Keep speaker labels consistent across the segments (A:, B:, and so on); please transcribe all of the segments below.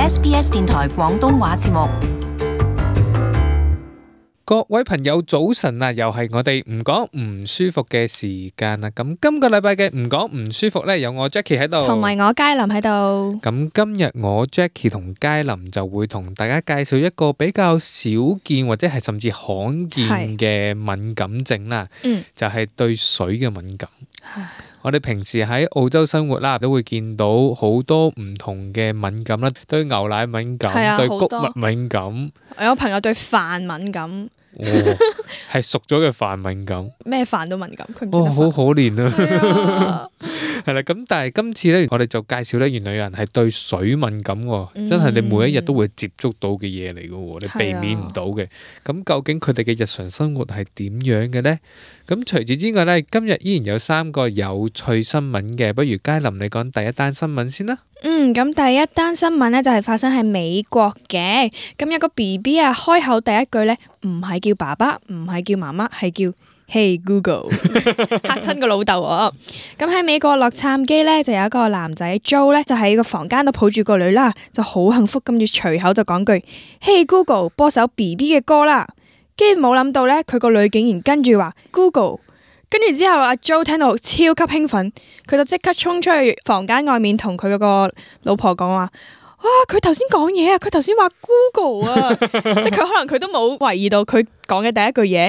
A: SBS 電台廣東話節目。
B: 各位朋友早晨啊，又係我哋唔講唔舒服嘅時間啦。咁今個禮拜嘅唔講唔舒服呢，有我 Jackie 喺度，
C: 同埋我佳琳喺度。
B: 咁今日我 Jackie 同佳琳就會同大家介紹一個比較少見或者係甚至罕見嘅敏感症啦。就係對水嘅敏感。我哋平時喺澳洲生活啦，都會見到好多唔同嘅敏感啦，對牛奶敏感，對穀物敏感。
C: 我有朋友對飯敏感。
B: 係熟咗嘅飯敏感，
C: 咩飯都敏感，佢唔知得
B: 好可憐啊！係啦，咁但係今次咧，我哋就介紹咧，原來有人係對水敏感喎，真係你每一日都會接觸到嘅嘢嚟嘅喎，你避免唔到嘅。咁究竟佢哋嘅日常生活係點樣嘅呢？咁除此之外咧，今日依然有3個有趣新聞嘅，不如佳琳你講第一單新聞先啦。
C: 咁第一單新聞咧就係發生喺美國嘅，咁有個 BB 啊，開口第一句咧唔係叫爸爸，唔係叫媽媽，係叫 Hey Google， 嚇親個老豆啊！咁喺美國洛杉磯咧就有一個男仔 Joe 咧，就喺個房間度抱住個女啦，就好幸福，跟住隨口就講句 Hey Google， 播首 BB 嘅歌啦。跟住冇諗到咧，佢個女竟然跟住話 Google。跟住之後，阿 Joe 聽到超級興奮，佢就即刻衝出去房間外面同佢嗰個老婆講話：哇！佢頭先講嘢啊，佢頭先話 Google 啊，即係佢可能佢都冇懷疑到佢講嘅第一句嘢，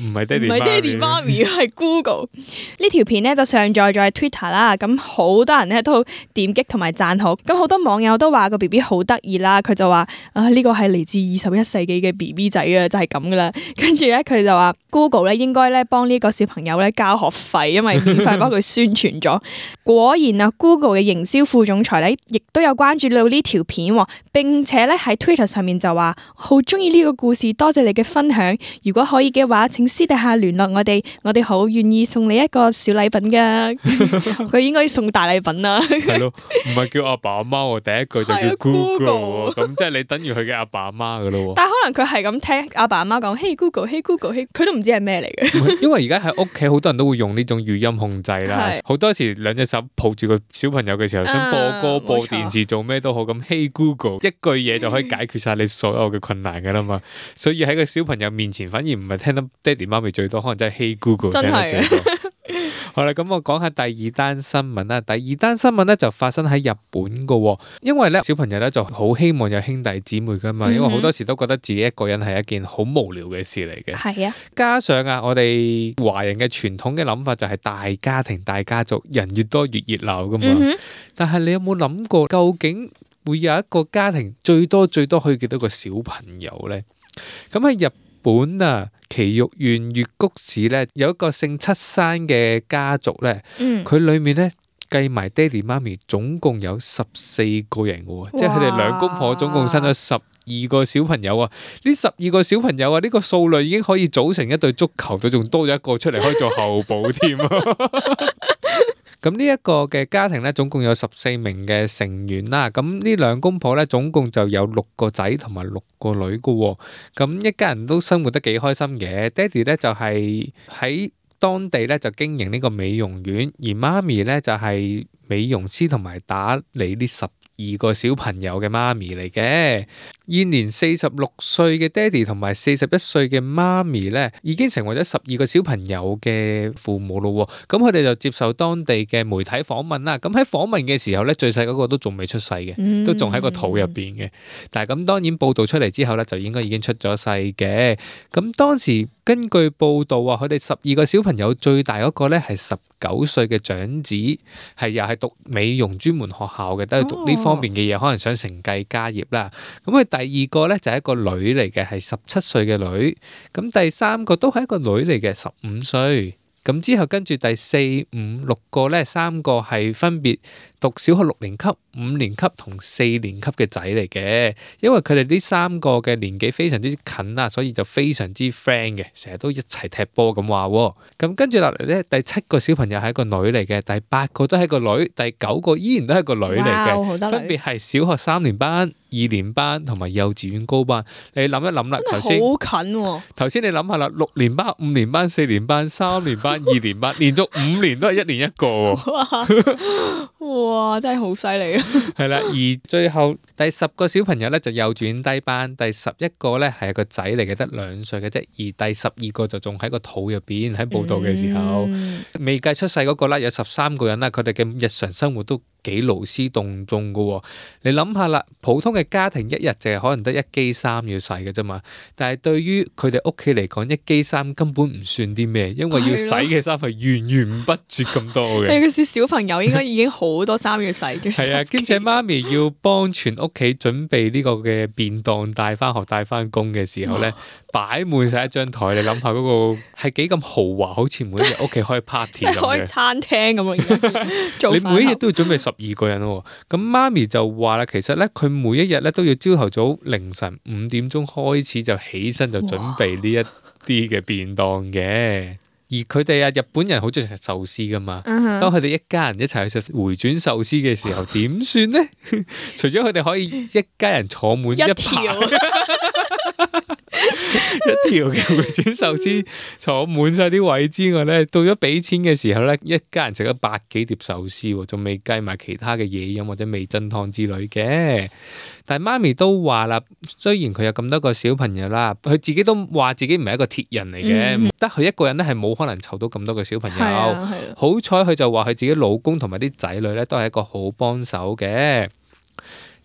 B: 唔係爹哋
C: 媽咪，係 Google。呢條片咧就上載咗喺 Twitter 啦，咁好多人咧都點擊同埋讚好，咁好多網友都話個 BB 好得意啦，佢就話呢個係嚟自21世紀嘅 BB 仔啊，就係咁噶啦。跟住咧佢就話 Google 咧應該咧幫呢個小朋友咧交學費，因為免費幫佢宣傳咗。果然啊 ，Google 嘅營銷副總裁咧亦都有關注到呢條片，並且咧喺 Twitter 上面就話好中意呢個故事，多謝你嘅分享。如果可以嘅話，請私底下聯絡我哋好願意送你一個小禮品噶。佢應該要送大禮品啦。
B: 係咯，唔係叫阿爸阿媽，第一句就叫 Google， 咁即係你等於佢嘅阿爸阿媽噶咯。
C: 但係可能佢係咁聽阿爸阿媽講 Hey Google，Hey Google，Hey， 佢都唔知係咩嚟嘅。
B: 因為而家喺屋企好多人都會用呢種語音控制啦，好多時兩隻手抱住個小朋友嘅時候，想播歌、播電視、做咩都好，咁 Hey Google 一句嘢就可以解決晒你所有嘅困難噶啦嘛。所以喺個小朋友面前，反而唔係聽得爹哋媽咪最多，可能真係 Hey Google 聽得最多。好啦，咁我講下第二單新聞啦。第二單新聞咧就發生喺日本噶，因為咧小朋友咧就好希望有兄弟姊妹噶嘛，因為好多時都覺得自己一個人係一件好無聊嘅事嚟嘅。係啊，加上啊，我哋華人嘅傳統嘅諗法就係大家庭、大家族，人越多越熱鬧噶嘛。但係你有冇諗過，究竟會有一個家庭最多可以幾多個小朋友呢？咁喺日本啊，埼玉縣越谷市咧有一個姓七山嘅家族咧，佢裏面咧計埋爹哋媽咪總共有14個人嘅，即係佢哋兩公婆總共生咗12個小朋友啊！呢12個小朋友啊，呢個數量已經可以組成一隊足球隊，仲多咗一個出嚟可以做候補添啊！咁呢一個嘅家庭咧，總共有14名嘅成員啦。咁呢兩公婆咧，總共就有6個仔同埋6個女嘅。咁一家人都生活得幾開心嘅。爹哋咧就係喺當地咧就經營呢個美容院，而媽咪咧就係美容師同埋打理呢12個小朋友嘅媽咪嚟嘅。現年46歲嘅爹哋同埋41歲嘅媽咪咧，已經成為咗12個小朋友嘅父母咯。咁佢哋就接受當地嘅媒體訪問啦。咁喺訪問嘅時候咧，最細嗰個都仲未出世嘅，都仲喺個肚入邊嘅。但係咁當然報道出嚟之後咧，就應該已經出咗世嘅。咁當時根據報道啊，佢哋12個小朋友最大嗰個咧係19歲嘅長子，係又係讀美容專門學校嘅，都係讀呢方面嘅嘢，可能想承繼家業啦。咁佢第二個咧就係一個女嚟嘅，係17歲嘅女。咁第三個都係一個女嚟嘅，15歲。咁之後跟住第4、5、6個咧，3個係分別讀小學6年級、5年級同4年級嘅仔嚟嘅。因為佢哋呢3個嘅年紀非常之近啊，所以就非常之 friend 嘅，成日都一齊踢波咁話。咁跟住落嚟咧，第7個小朋友係一個女嚟嘅，第8個都係一個女，第9個依然都係一個女嚟嘅，分別係小學3年班、2年班同埋幼稚園高班。你諗一諗啦，頭先
C: 好近喎。頭
B: 先你諗下啦，6年班、5年班、4年班、3年班、2年班，連續5年都係1年1個。
C: 哇，真係好犀利啊！
B: 係啦，而最後第10個小朋友咧就幼稚園低班，第11個咧係個仔嚟嘅，得2歲嘅啫，而第12個就仲喺個肚入邊。喺報道嘅時候，未計出世嗰個啦，有13個人啦，佢哋嘅日常生活都幾勞師動眾噶喎。你諗下啦，普通嘅家庭一日淨係可能得1機衫要洗嘅啫嘛，但係對於佢哋屋企嚟講，1機衫根本唔算啲咩，因為要洗嘅衫係源源不絕咁多嘅。
C: 尤其是小朋友應該已經好多衫要洗嘅。
B: 係啊，兼且媽咪要幫全屋企準備呢個嘅便當帶翻學帶翻工嘅時候咧，擺滿晒一張台，你諗下嗰個係幾咁豪華，好似每一日屋企開 party 咁嘅，
C: 開餐廳咁啊！
B: 你每一日都要準備12個人喎。咁媽咪就話啦，其實咧佢每一日咧都要朝頭早凌晨5點鐘開始就起身就準備呢一啲嘅便當嘅。而佢哋啊，日本人好中意食壽司噶嘛。當佢哋一家人一齊去食回轉壽司嘅時候，點算呢？除咗佢哋可以一家人坐滿一排一條嘅回轉壽司坐滿晒啲位之外咧，到咗俾錢嘅時候咧，一家人食咗100幾碟壽司，仲未計埋其他嘅嘢飲或者味噌湯之類嘅。但係媽咪都話啦，雖然佢有咁多個小朋友啦，佢自己都話自己唔係一個鐵人嚟嘅，得佢一個人咧係冇可能湊到咁多個小朋友。好彩佢就話佢自己老公同埋啲仔女咧都係一個好幫手嘅。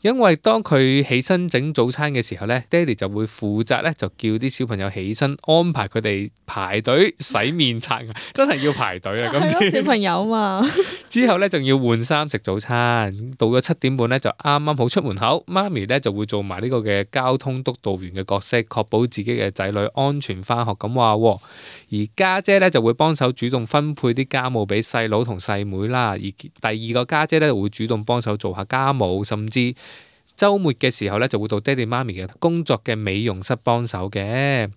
B: 因為當佢起身整早餐嘅時候咧，爹哋就會負責咧，就叫啲小朋友起身，安排佢哋排隊洗面刷牙，真係要排隊啊！今次
C: 小朋友嘛，
B: 之後咧仲要換衫食早餐，到咗7點半咧就啱啱好出門口，媽咪咧就會做埋呢個嘅交通督導員嘅角色，確保自己嘅仔女安全翻學咁話。而家姐咧就會幫手主動分配啲家務俾細佬同細妹啦，而第2個家姐咧會主動幫手做下家務，甚至週末嘅時候咧就會到爹哋媽咪嘅工作嘅美容室幫手嘅。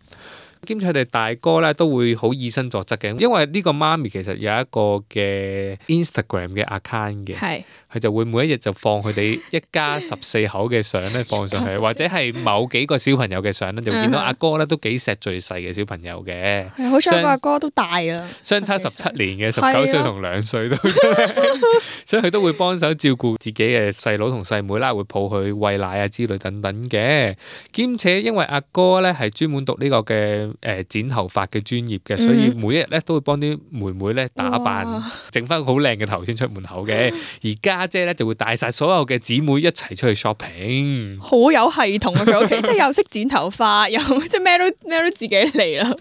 B: 兼且佢哋大哥咧都會好以身作則嘅，因為呢個媽咪其實有一個嘅 Instagram 嘅 account 嘅，佢就會每一日就放佢哋一家14口嘅相咧放上去，或者係某幾個小朋友嘅相咧，就見到阿哥咧都幾錫最細嘅小朋友嘅。
C: 好彩個阿哥都大啦，
B: 相差17年嘅19歲同2歲都，所以佢都會幫手照顧自己嘅細佬同細妹啦，會抱佢餵奶啊之類等等嘅。兼且因為阿哥咧係專門讀呢個嘅剪頭髮嘅專業嘅，所以每一日咧都會幫啲妹妹咧打扮，整翻好靚嘅頭先出門口嘅。而家姐咧就會帶晒所有嘅姊妹一齊出去 shopping，
C: 好有系統啊！佢屋企即係又識剪頭髮，又即係咩都自己嚟啦。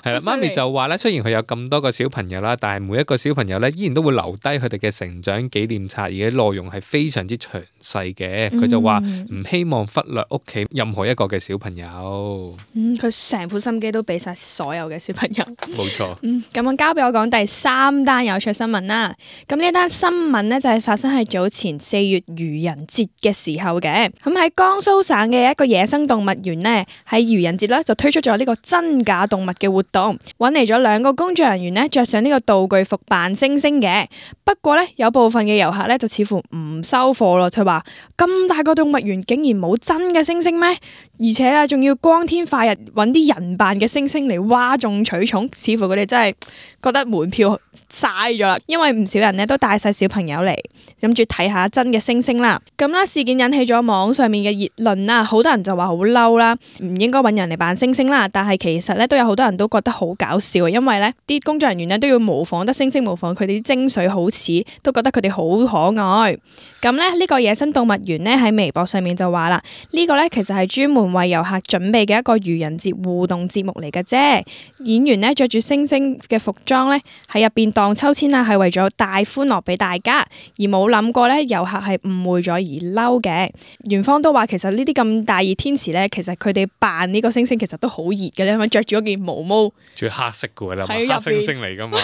B: 係啦，媽咪就話咧，雖然佢有咁多個小朋友啦，但係每一個小朋友咧依然都會留低佢哋嘅成長紀念冊，而且內容係非常之詳細嘅。佢就話唔希望忽略屋企任何一個嘅小朋友。
C: 佢成副心機都俾晒所有嘅小朋友。
B: 冇錯。
C: 咁我交俾我講第3單有趣新聞啦。咁呢一單新聞呢，就係發生喺早前4月愚人節嘅時候嘅。咁喺江蘇省嘅一個野生動物園呢，喺愚人節咧就推出咗呢個真假動物嘅活動，揾嚟咗2個工作人員呢，着上呢個道具服扮猩猩嘅。不過呢，有部分嘅遊客呢，就似乎唔收貨咯，佢話咁大個動物園竟然冇真嘅猩猩咩？而且啊，仲要光天化日揾啲人扮嘅猩猩嚟嘩眾取寵，似乎佢哋真係覺得門票嘥咗啦。因為唔少人呢都帶晒小朋友嚟，諗住睇下真嘅猩猩啦。咁啦，事件引起咗網上面嘅熱論啦，好多人就話好嬲啦，唔應該揾人嚟扮猩猩啦。但係其實咧都有好多人都覺得好搞笑，因為咧啲工作人員咧都要模仿得猩猩模仿佢哋啲精髓好似，都覺得佢哋好可愛。咁咧呢個野生動物園咧喺微博上面就話啦，呢個咧其實係專門為遊客準備嘅一個愚人節互動節目嚟嘅啫。演員咧着住猩猩嘅服裝咧喺入邊盪秋千啊，係為咗帶歡樂俾大家，而冇諗過咧遊客係誤會咗而嬲嘅。園方都話其實呢啲咁大熱天時咧，其實佢哋扮呢個猩猩其實都好熱嘅咧，因為着住嗰件毛毛，
B: 仲要黑色嘅啦，黑猩猩嚟噶嘛，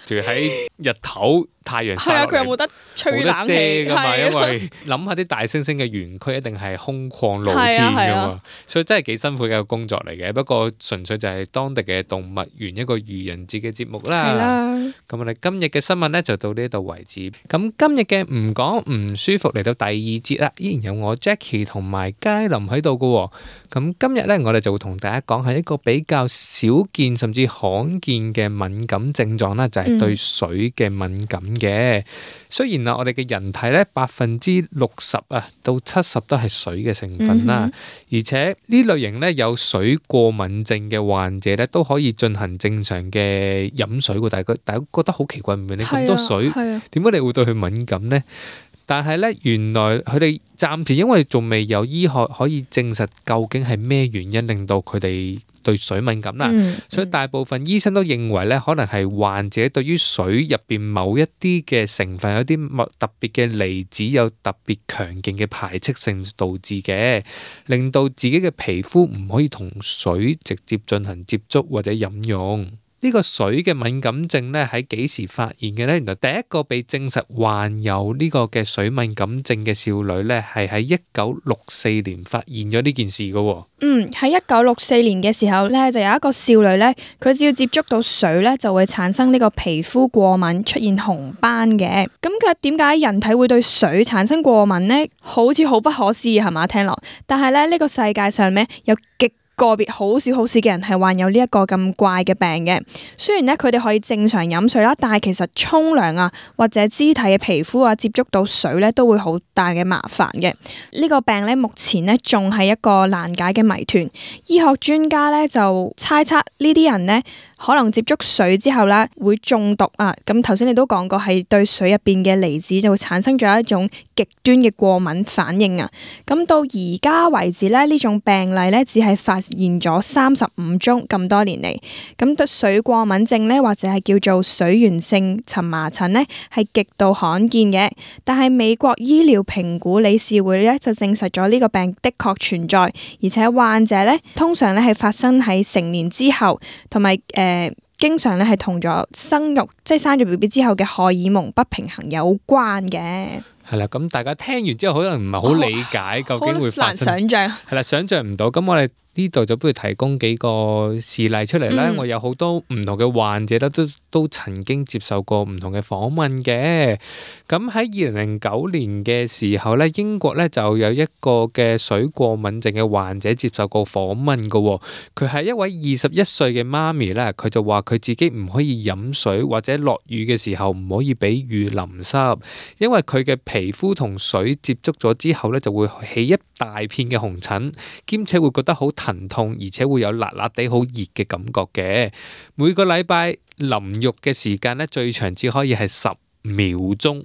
B: 仲要喺日頭。太陽曬落嚟，
C: 佢有冇得吹冷氣？
B: 冇得遮㗎嘛，因為諗下啲大猩猩嘅園區一定係空曠露天㗎嘛，所以真係幾辛苦嘅一個工作嚟嘅。不過純粹就係當地嘅動物園一個愚人節嘅節目啦。咁我哋今日嘅新聞咧就到呢度為止。咁今日嘅唔講唔舒服嚟到第2節啦，依然有我 Jackie 同埋佳琳喺度㗎。咁今日咧我哋就會同大家講係一個比較少見甚至罕見嘅敏感症狀啦，就係對水嘅敏感。嘅。雖然我哋嘅人體咧60%到70%都係水嘅成分啦，而且呢類型咧有水過敏症嘅患者咧都可以進行正常嘅飲水喎。大家覺得好奇怪，唔明你咁多水，點解你會對佢敏感呢？但係咧，原來佢哋暫時因為仲未有醫學可以證實究竟係咩原因令到佢哋對水敏感啦，所以大部分醫生都認為咧，可能係患者對於水入邊某一啲嘅成分有啲特別嘅離子有特別強勁嘅排斥性導致嘅，令到自己嘅皮膚唔可以同水直接進行接觸或者飲用。呢個水嘅敏感症咧喺幾時發現嘅咧？原來第一個被證實患有呢個嘅水敏感症嘅少女咧，係喺1964年發現咗呢件事嘅。
C: 喺1964年嘅時候咧，就有一個少女咧，佢只要接觸到水咧，就會產生呢個皮膚過敏，出現紅斑嘅。咁佢點解人體會對水產生過敏呢？好似好不可思議係嘛？聽落，但係咧呢個世界上咧有個別好少嘅人係患有呢一個咁怪嘅病嘅。雖然咧佢哋可以正常飲水啦，但係其實沖涼啊或者肢體嘅皮膚啊接觸到水咧都會好大嘅麻煩嘅。呢個病咧目前咧仲係一個難解嘅謎團。醫學專家咧就猜測呢啲人咧可能接觸水之後咧會中毒啊。咁頭先你都講過係對水入邊嘅離子就會產生咗一種極端嘅過敏反應啊。咁到而家為止咧呢種病例咧只係發現咗35宗，咁多年嚟。咁對水過敏症咧或者係叫做水源性蕁麻疹咧係極度罕見嘅。但係美國醫療評估理事會咧就證實咗呢個病的確存在，而且患者咧通常咧係發生喺成年之後，同埋經常咧係同咗生育即係生咗 BB 之後嘅荷爾蒙不平衡有關嘅。
B: 係啦，咁大家聽完之後可能唔係好理解究竟會發生，
C: 好難想像。
B: 係啦，想像唔到。咁我哋呢度就不如提供幾個事例出嚟啦。我有好多唔同嘅患者都曾經接受過唔同嘅訪問嘅。咁喺2009年嘅時候咧，英國咧就有一個嘅水過敏症嘅患者接受過訪問嘅。佢係一位21歲嘅媽咪咧，佢就話佢自己唔可以飲水或者落雨嘅時候唔可以俾雨淋濕，因為佢嘅皮膚同水接觸咗之後咧就會起一大片嘅紅疹，兼且會覺得好疼痛，而且會有辣辣地好熱嘅感覺嘅。每個禮拜淋浴嘅時間咧最長只可以係10秒鐘。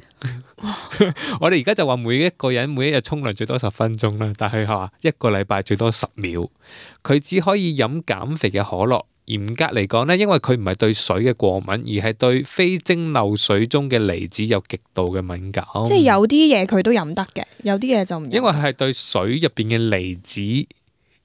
B: 我哋而家就話每一個人每一日沖涼最多10分鐘啦，但係佢話一個禮拜最多10秒。佢只可以飲減肥嘅可樂。嚴格嚟講咧，因為佢唔係對水嘅過敏，而係對非蒸餾水中嘅離子有極度嘅敏感。
C: 即係有啲嘢佢都飲得嘅，有啲嘢就唔飲。
B: 因為係對水入邊嘅離子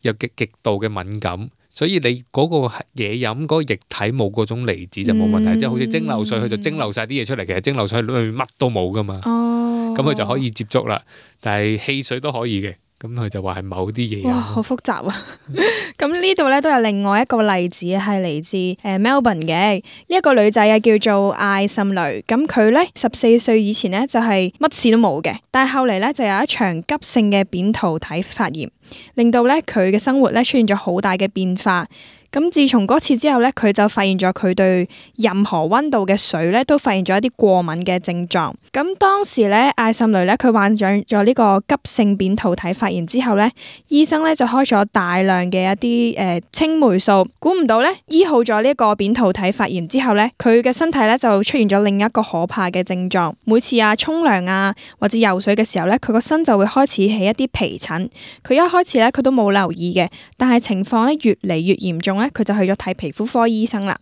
B: 有極度嘅敏感，所以你嗰個嘢飲嗰個液體冇嗰種離子就冇問題。即係好似蒸餾水，佢就蒸餾晒啲嘢出嚟，其實蒸餾水裏面乜都冇噶嘛。咁佢就可以接觸啦。但係汽水都可以嘅。咁佢就話係某啲嘢。
C: 哇，好複雜啊！咁呢度咧都有另外一個例子係嚟自Melbourne 嘅一個女仔啊，叫做艾森雷。咁佢咧14歲以前咧就係乜事都冇嘅，但係後嚟咧就有一場急性嘅扁桃體發炎，令到咧佢嘅生活咧出現咗好大嘅變化。咁自從嗰次之後咧，佢就發現咗佢對任何溫度嘅水咧都發現咗一啲過敏嘅症狀。咁當時咧，艾森雷咧佢患上咗呢個急性扁桃體發炎之後咧，醫生咧就開咗大量嘅一啲青霉素。估唔到咧，醫好咗呢個扁桃體發炎之後咧，佢嘅身體咧就出現咗另一個可怕嘅症狀。每次沖涼啊或者游水嘅時候咧，佢個身就會開始起一啲皮疹。佢一開始咧佢都冇留意嘅，但係情況咧越嚟越嚴重咧，佢就去咗睇皮膚科醫生啦。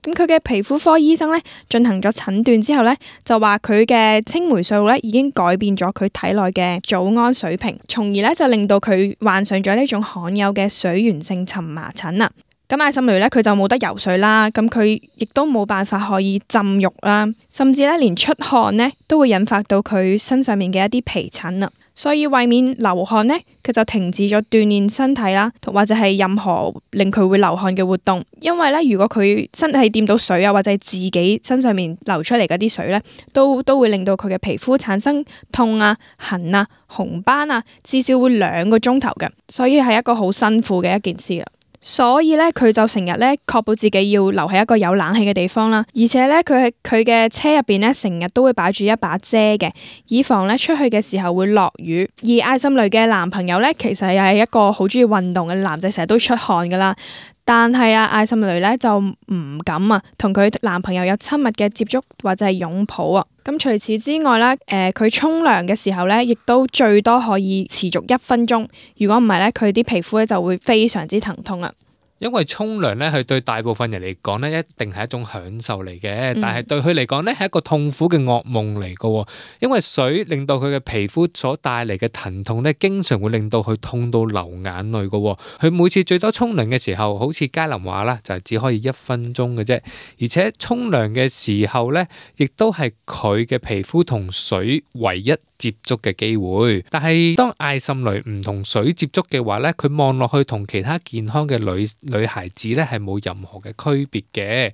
C: 咁佢嘅皮膚科醫生咧進行咗診斷之後咧，就話佢嘅青霉素咧已經改變咗佢體內嘅組胺水平，從而咧就令到佢患上咗呢種罕有嘅水源性蕁麻疹啦。咁艾森雷咧佢就冇得游水啦，咁佢亦都冇辦法可以浸浴啦，甚至咧連出汗咧都會引發到佢身上面嘅一啲皮疹啦。所以為免流汗呢，佢就停止咗鍛煉身體啦，或者係任何令佢會流汗嘅活動。因為咧，如果佢身體掂到水啊，或者係自己身上面流出嚟嗰啲水咧，都會令到佢嘅皮膚產生痛啊、痕啊、紅斑啊，至少會2個鐘頭嘅。所以係一個好辛苦嘅一件事啊。所以咧佢就成日咧確保自己要留喺一個有冷氣嘅地方啦，而且咧佢嘅車入邊咧成日都會擺住一把遮嘅，以防咧出去嘅時候會落雨。而艾森雷嘅男朋友咧其實又係一個好中意運動嘅男仔，成日都出汗噶啦。但係艾森雷咧就唔敢同佢男朋友有親密嘅接觸或者係擁抱啊。咁除此之外咧，佢沖涼嘅時候咧，亦都最多可以持續1分鐘。如果唔係咧，佢啲皮膚咧就會非常之疼痛啦。
B: 因為沖涼咧，佢對大部分人嚟講咧，一定係一種享受嚟嘅。但係對佢嚟講咧，係一個痛苦嘅噩夢嚟嘅。因為水令到佢嘅皮膚所帶嚟嘅疼痛咧，經常會令到佢痛到流眼淚嘅。佢每次最多沖涼嘅時候，好似嘉林話啦，就係只可以1分鐘嘅啫。而且沖涼嘅時候咧，亦都係佢嘅皮膚同水唯一接觸嘅機會。但係當艾森雷唔同水接觸嘅話咧，佢望落去同其他健康嘅女孩子咧係冇任何嘅區別嘅。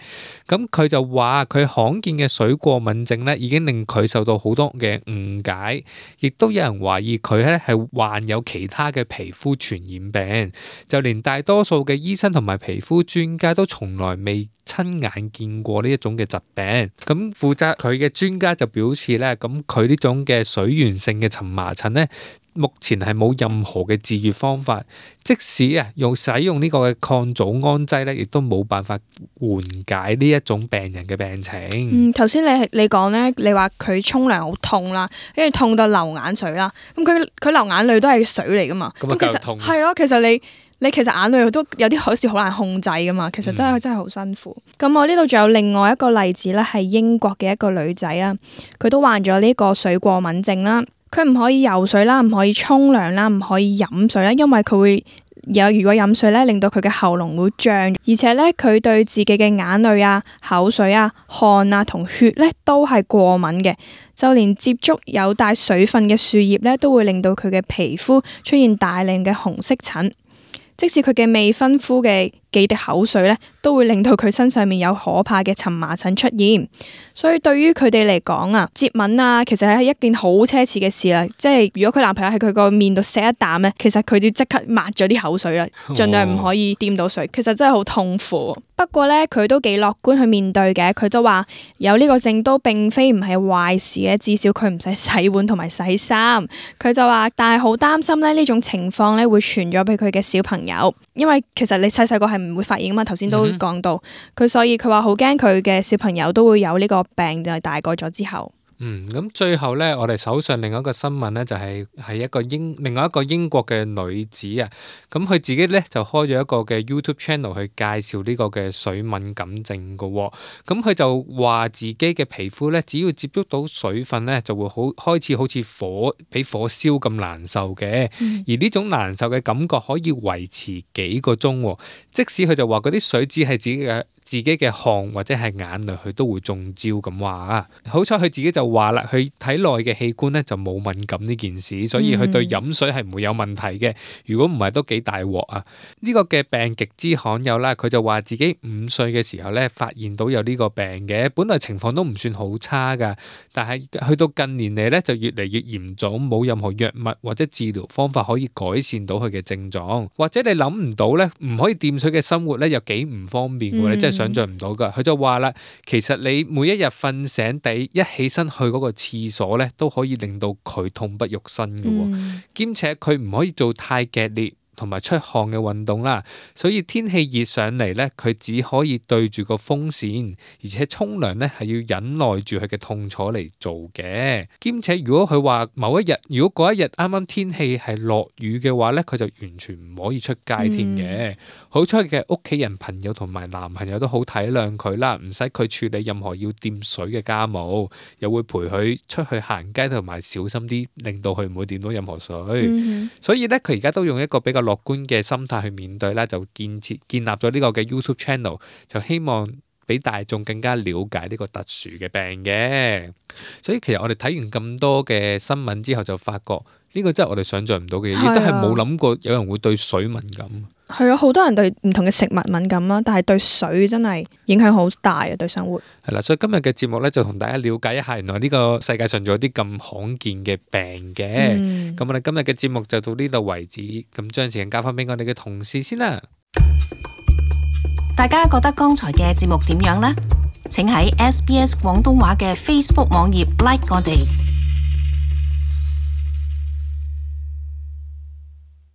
B: 咁佢就話佢罕見嘅水過敏症咧，已經令佢受到好多嘅誤解，亦都有人懷疑佢咧係患有其他嘅皮膚傳染病。就連大多數嘅醫生同埋皮膚專家都從來未親眼見過呢一種嘅疾病。咁負責佢嘅專家就表示咧，咁佢呢種嘅水源性嘅蕁麻疹咧，目前係冇任何嘅治癒方法，即使使用呢個嘅抗組胺劑咧，亦都冇辦法緩解呢一種病人嘅病情。
C: 頭先你講咧，你話佢沖涼好痛啦，跟住痛到流眼水啦，咁佢流眼淚都係水嚟噶嘛，
B: 咁其實痛
C: 係咯，其實你其實眼淚都有啲好似好難控制噶嘛，其實真係好辛苦。咁我呢度仲有另外一個例子咧，係英國嘅一個女仔啊，佢都患咗呢個水過敏症啦。佢唔可以游水啦，唔可以沖涼啦，唔可以飲水啦，因為佢會如果飲水咧，令到佢嘅喉嚨會脹，而且咧佢對自己嘅眼淚口水汗同血咧都係過敏嘅，就連接觸有帶水分嘅樹葉咧，都會令到佢嘅皮膚出現大量嘅紅色疹。即使佢嘅未婚夫嘅幾滴口水咧，都會令到佢身上面有可怕嘅蕁麻疹出現。所以對於佢哋嚟講接吻其實係一件好奢侈嘅事啦。即係如果佢男朋友喺佢個面度錫一啖咧，其實佢就即刻抹咗啲口水啦，盡量唔可以掂到水。其實真係好痛苦。不過咧，佢都幾樂觀去面對嘅。佢都話有呢個症都並非唔係壞事嘅，至少佢唔使洗碗同埋洗衫。佢就話，但係好擔心咧呢種情況咧會傳咗俾佢嘅小朋友，因為其實你細細個係唔會發現噶嘛。頭先都講到佢，所以佢話好驚佢嘅小朋友都會有呢個病，就係大個咗之後。
B: 咁最後咧，我哋手上另外一個新聞咧，就係另外一個英國嘅女子啊，咁佢自己咧就開咗一個嘅 YouTube channel 去介紹呢個嘅水敏感症噶。咁佢就話自己嘅皮膚咧，只要接觸到水分咧，就會開始好似俾火燒咁難受嘅。而呢種難受嘅感覺可以維持幾個鐘，即使佢就話嗰啲水只係自己嘅汗或者係眼淚，佢都會中招咁話。好彩佢自己就話啦，佢體內嘅器官咧就冇敏感呢件事，所以佢對飲水係唔會有問題嘅。如果唔係都幾大鑊啊！呢個嘅病極之罕有啦。佢就話自己5歲嘅時候咧發現到有呢個病嘅，本來情況都唔算好差噶，但係去到近年嚟咧就越嚟越嚴重，冇任何藥物或者治療方法可以改善到佢嘅症狀，或者你諗唔到咧唔可以掂水嘅生活咧有幾唔方便嘅，你真係想象唔到噶。佢就話啦，其實你每一日瞓醒一起身去嗰個廁所咧，都可以令到佢痛不欲生嘅。兼且佢唔可以做太劇烈同埋出汗嘅運動啦，所以天氣熱上嚟咧，佢只可以對住個風扇，而且沖涼咧係要忍耐住佢嘅痛楚嚟做嘅。兼且如果佢話某一日，如果嗰一日啱啱天氣係落雨嘅話咧，佢就完全唔可以出街添嘅。好彩嘅屋企人、朋友同埋男朋友都好體諒佢啦，唔使佢處理任何要掂水嘅家務，又會陪佢出去行街同埋小心啲，令到佢唔會掂到任何水。所以咧，佢而家都用一個比較樂觀嘅心態去面對啦，就建立咗呢個嘅 YouTube channel， 就希望俾大眾更加了解呢個特殊嘅病嘅。所以其實我哋睇完咁多嘅新聞之後，就發覺呢個真係我哋想象唔到嘅嘢，亦都係冇諗過有人會對水敏感。
C: 係啊，好多人對唔同嘅食物敏感啦，但係對水真係影響好大啊，對生活。係啦，所以今日嘅節目咧就同大家了解一下，原來呢個世界上仲有啲咁罕見嘅病嘅。咁我哋今日嘅節目就到呢度為止，咁將時間交翻俾我哋嘅同事先啦。
A: 大家覺得剛才嘅節目點樣呢？請喺SBS 廣東話嘅 Facebook 網頁 like 我哋。